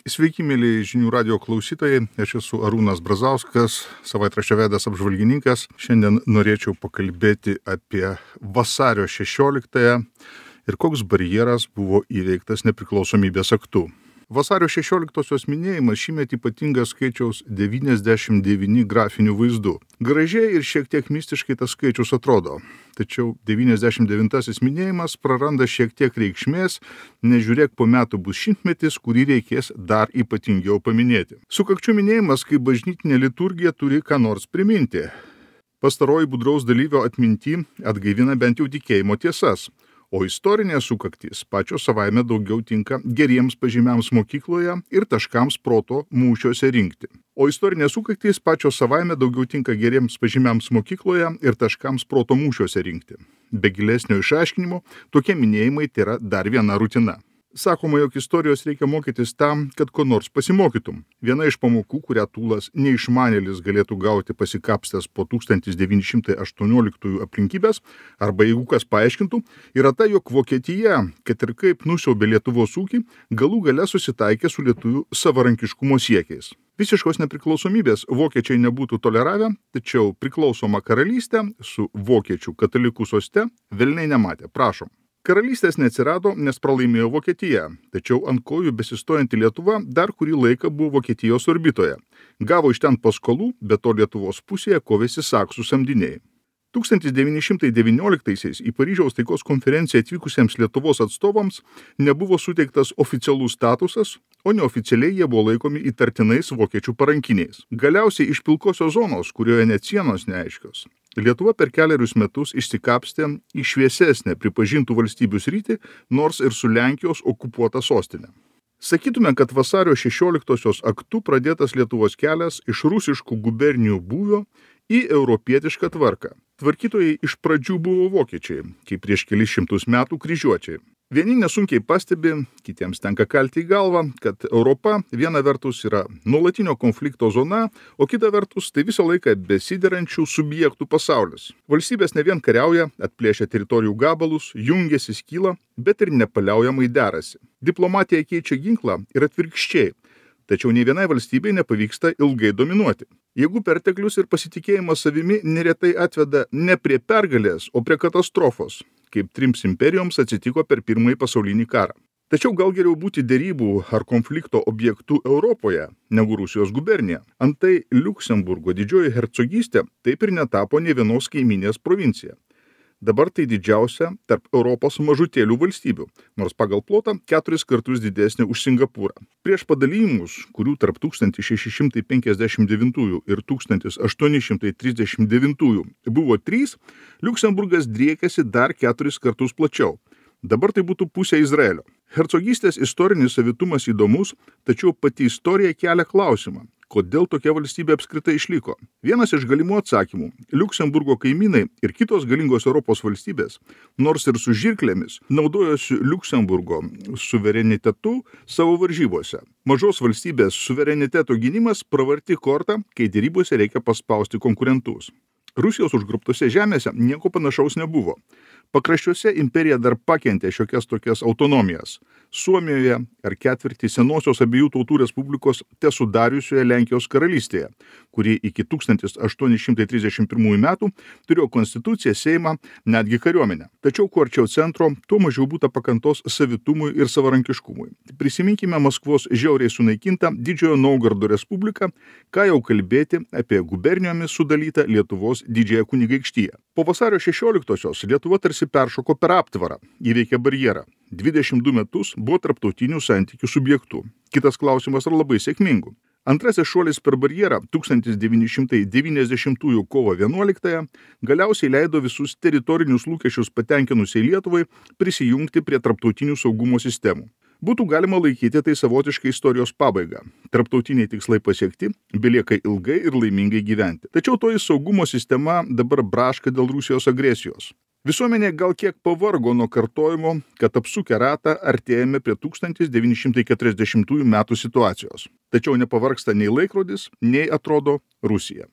Sveiki, mėly žinių radio klausytojai, aš esu Arūnas Brazauskas, savaitraščio Veidas apžvalgininkas. Šiandien norėčiau pakalbėti apie vasario 16-ąją ir koks barjeras buvo įveiktas nepriklausomybės aktu. Vasario 16-osios minėjimas šįmet ypatingas skaičiaus 99 grafinių vaizdų. Gražiai ir šiek tiek mistiškai tas skaičius atrodo. Tačiau 99-asis minėjimas praranda šiek tiek reikšmės, nežiūrėk po metų bus šimtmetis, kurį reikės dar ypatingiau paminėti. Sukakčių minėjimas kaip bažnytinė liturgija turi ką nors priminti. Pastaroji budraus dalyvio atminty atgaivina bent jau tikėjimo tiesas. O istorinės sukaktys pačios savaime daugiau tinka geriems pažymiams mokykloje ir taškams proto mūšiuose rinkti. O istorinės sukaktys pačios savaime daugiau tinka geriems pažymiams mokykloje ir taškams proto mūšiuose rinkti. Be gilesnio išaiškinimo, tokie minėjimai tėra dar viena rutina. Sakoma, jog istorijos reikia mokytis tam, kad ko nors pasimokytum. Viena iš pamokų, kurią Tūlas neišmanėlis galėtų gauti pasikapstęs po 1918 aplinkybės, arba jeigu kas paaiškintų, yra ta, jog Vokietija, kad ir kaip nusiaubė Lietuvos ūkį, galų gale susitaikė su lietuvių savarankiškumo siekiais. Visiškos nepriklausomybės vokiečiai nebūtų toleravę, tačiau priklausomą karalystę su vokiečių katalikų soste velniai nematė. Prašom. Karalystės neatsirado, nes pralaimėjo Vokietija, tačiau ant kojų besistojanti Lietuva dar kurį laiką buvo Vokietijos orbitoje. Gavo iš ten paskolų, bet to Lietuvos pusėje kovėsi saksų samdiniai. 1919-aisiais į Paryžiaus taikos konferenciją atvykusiems Lietuvos atstovams nebuvo suteiktas oficialus statusas, o neoficialiai jie buvo laikomi įtartinais vokiečių parankiniais. Galiausiai iš pilkosios zonos, kurioje net sienos neaiškios, Lietuva per kelerius metus išsikapstė į šviesesnę pripažintų valstybių sritį, nors ir su Lenkijos okupuota sostinė. Sakytume, kad vasario 16-osios aktu pradėtas Lietuvos kelias iš rusiškų gubernijų būvio į europietišką tvarką. Tvarkytojai iš pradžių buvo vokiečiai, kaip prieš kelis šimtus metų kryžiuočiai. Vieni nesunkiai pastebi, kitiems tenka kalti į galvą, kad Europa viena vertus yra nuolatinio konflikto zona, o kita vertus tai visą laiką besiderančių subjektų pasaulis. Valstybės ne vien kariauja, atplėšia teritorijų gabalus, jungiasi, skyla, bet ir nepaliaujamai derasi. Diplomatija keičia ginklą ir atvirkščiai. Tačiau nei vienai valstybei nepavyksta ilgai dominuoti. Jėgų perteklius ir pasitikėjimas savimi neretai atveda ne prie pergalės, o prie katastrofos, kaip trims imperijoms atsitiko per Pirmąjį pasaulinį karą. Tačiau gal geriau būti derybų ar konflikto objektų Europoje, negu Rusijos gubernija. Antai Liuksemburgo didžioji hercogystė taip ir netapo nė vienos kaimynės provincija. Dabar tai didžiausia tarp Europos mažutėlių valstybių, nors pagal plotą 4 kartus didesnė už Singapūrą. Prieš padalijimus, kurių tarp 1659 ir 1839 buvo 3, Liuksemburgas driekėsi dar 4 kartus plačiau. Dabar tai būtų pusė Izraelio. Hercogystės istorinis savitumas įdomus, tačiau pati istorija kelia klausimą. Kodėl tokia valstybė apskritai išliko? Vienas iš galimų atsakymų – Liuksemburgo kaimynai ir kitos galingos Europos valstybės, nors ir su žirklėmis, naudojosi Liuksemburgo suverenitetu savo varžybose. Mažos valstybės suvereniteto gynimas pravarti kortą, kai derybose reikia paspausti konkurentus. Rusijos užgrobtose žemėse nieko panašaus nebuvo. Pakraščiuose imperija dar pakentė šiokias tokias autonomijas. Suomijoje ar ketvirtį senosios abiejų tautų respublikos tesudariusioje Lenkijos karalystėje, kuri iki 1831 metų turėjo konstituciją, seimą, netgi kariuomenę. Tačiau kuo arčiau centro, tuo mažiau būta pakantos savitumui ir savarankiškumui. Prisiminkime Maskvos žiauriai sunaikintą Didžiojo Naugardo respubliką, ką jau kalbėti apie gubernijomis sudalytą Lietuvos didžiąją kunigaikštiją. Po vasario 16-osios Lietuva tarsi peršoko per aptvarą, įveikė barjerą. 22 metus buvo tarptautinių santykių subjektų. Kitas klausimas ar labai sėkmingų. Antrasis šuolis per barjerą 1990 kovo 11 galiausiai leido visus teritorinius lūkesčius patenkinusiai Lietuvai prisijungti prie tarptautinių saugumo sistemų. Būtų galima laikyti tai savotiškai istorijos pabaigą. Tarptautiniai tikslai pasiekti, belieka ilgai ir laimingai gyventi. Tačiau toji saugumo sistema dabar braška dėl Rusijos agresijos. Visuomenė gal kiek pavargo nuo kartojimo, kad apsukę ratą artėjame prie 1940 metų situacijos. Tačiau nepavargsta nei laikrodis, nei atrodo Rusija.